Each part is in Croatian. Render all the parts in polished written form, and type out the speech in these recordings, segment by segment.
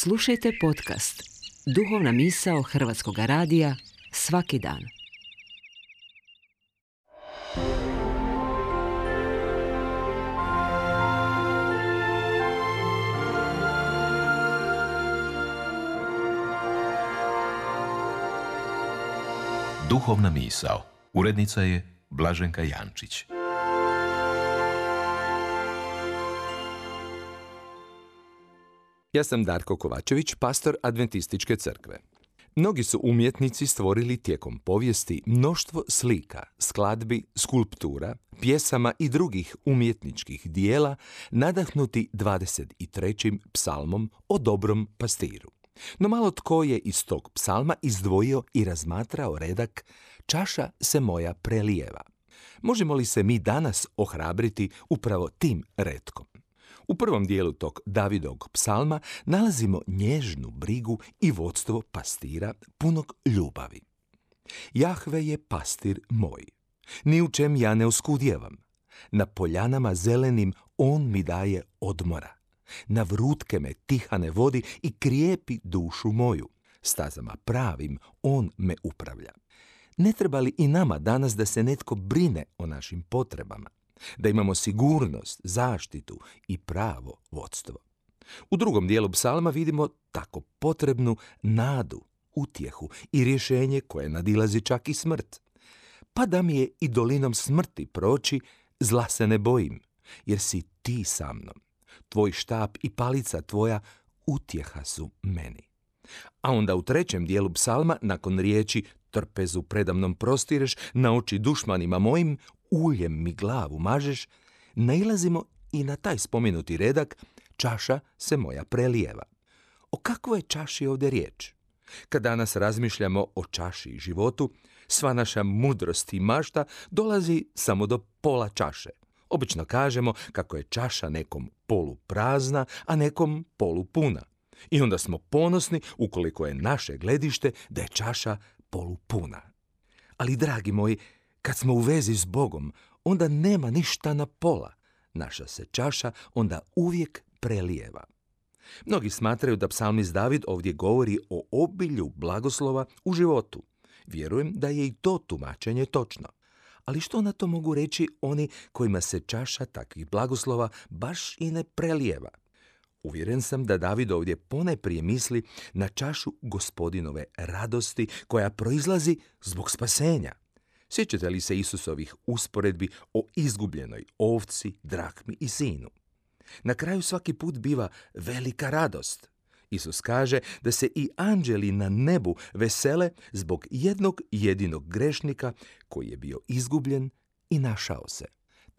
Slušajte podcast Duhovna misao Hrvatskog radija svaki dan. Duhovna misao. Urednica je Blaženka Jančić. Ja sam Darko Kovačević, pastor Adventističke crkve. Mnogi su umjetnici stvorili tijekom povijesti mnoštvo slika, skladbi, skulptura, pjesama i drugih umjetničkih dijela nadahnuti 23. psalmom o dobrom pastiru. No malo tko je iz tog psalma izdvojio i razmatrao redak "Čaša se moja prelijeva". Možemo li se mi danas ohrabriti upravo tim retkom? U prvom dijelu tog Davidovog psalma nalazimo nježnu brigu i vodstvo pastira punog ljubavi. Jahve je pastir moj, ni u čem ja ne oskudjevam. Na poljanama zelenim on mi daje odmora. Na vrutke me tihane vodi i krijepi dušu moju. Stazama pravim on me upravlja. Ne treba li i nama danas da se netko brine o našim potrebama? Da imamo sigurnost, zaštitu i pravo vodstvo. U drugom dijelu psalma vidimo tako potrebnu nadu, utjehu i rješenje koje nadilazi čak i smrt. Pa da mi je i dolinom smrti proći, zla se ne bojim, jer si ti sa mnom. Tvoj štap i palica tvoja utjeha su meni. A onda u trećem dijelu psalma, nakon riječi "trpezu predamnom prostireš, na oči dušmanima mojim, uljem mi glavu mažeš", nailazimo i na taj spomenuti redak "Čaša se moja prelijeva". O kakvoj je čaši ovdje riječ? Kad danas razmišljamo o čaši i životu, sva naša mudrost i mašta dolazi samo do pola čaše. Obično kažemo kako je čaša nekom poluprazna, a nekom polupuna. I onda smo ponosni ukoliko je naše gledište da je čaša polupuna. Ali, dragi moji, kad smo u vezi s Bogom, onda nema ništa na pola. Naša se čaša onda uvijek prelijeva. Mnogi smatraju da psalmist David ovdje govori o obilju blagoslova u životu. Vjerujem da je i to tumačenje točno. Ali što na to mogu reći oni kojima se čaša takvih blagoslova baš i ne prelijeva? Uvjeren sam da David ovdje ponajprije misli na čašu Gospodinove radosti koja proizlazi zbog spasenja. Sjećate li se Isusovih usporedbi o izgubljenoj ovci, drahmi i sinu? Na kraju svaki put biva velika radost. Isus kaže da se i anđeli na nebu vesele zbog jednog jedinog grešnika koji je bio izgubljen i našao se.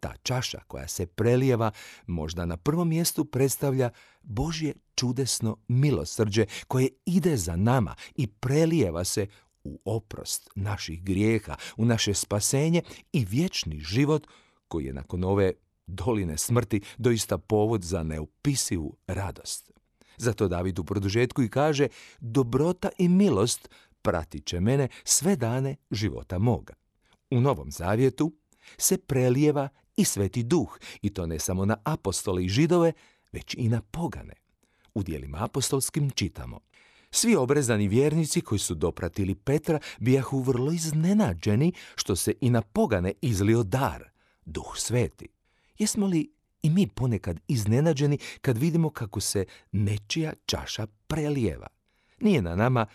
Ta čaša koja se prelijeva možda na prvom mjestu predstavlja Božje čudesno milosrđe koje ide za nama i prelijeva se u oprost naših grijeha, u naše spasenje i vječni život koji je nakon ove doline smrti doista povod za neopisivu radost. Zato David u produžetku i kaže: "Dobrota i milost pratit će mene sve dane života moga." U Novom Zavjetu se prelijeva i Sveti Duh, i to ne samo na apostole i židove, već i na pogane. U djelima apostolskim čitamo: "Svi obrezani vjernici koji su dopratili Petra bijahu vrlo iznenađeni što se i na pogane izlio dar, Duh Sveti." Jesmo li i mi ponekad iznenađeni kad vidimo kako se nečija čaša prelijeva? Nije na nama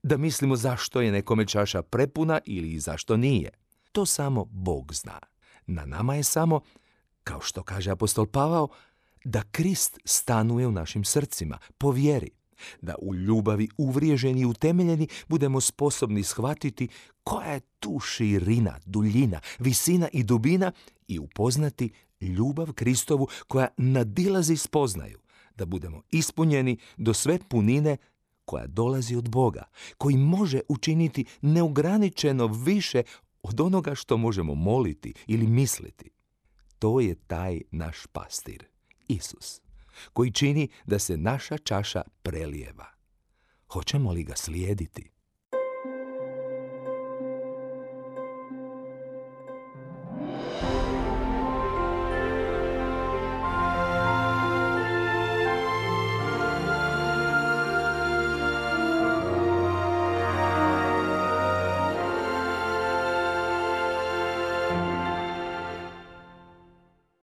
da mislimo zašto je nekome čaša prepuna ili zašto nije. To samo Bog zna. Na nama je samo, kao što kaže apostol Pavao, da Krist stanuje u našim srcima po vjeri. Da u ljubavi uvriježeni i utemeljeni budemo sposobni shvatiti koja je tu širina, duljina, visina i dubina i upoznati ljubav Kristovu koja nadilazi spoznaju, da budemo ispunjeni do sve punine koja dolazi od Boga, koji može učiniti neograničeno više od onoga što možemo moliti ili misliti. To je taj naš pastir, Isus, koji čini da se naša čaša prelijeva. Hoćemo li ga slijediti?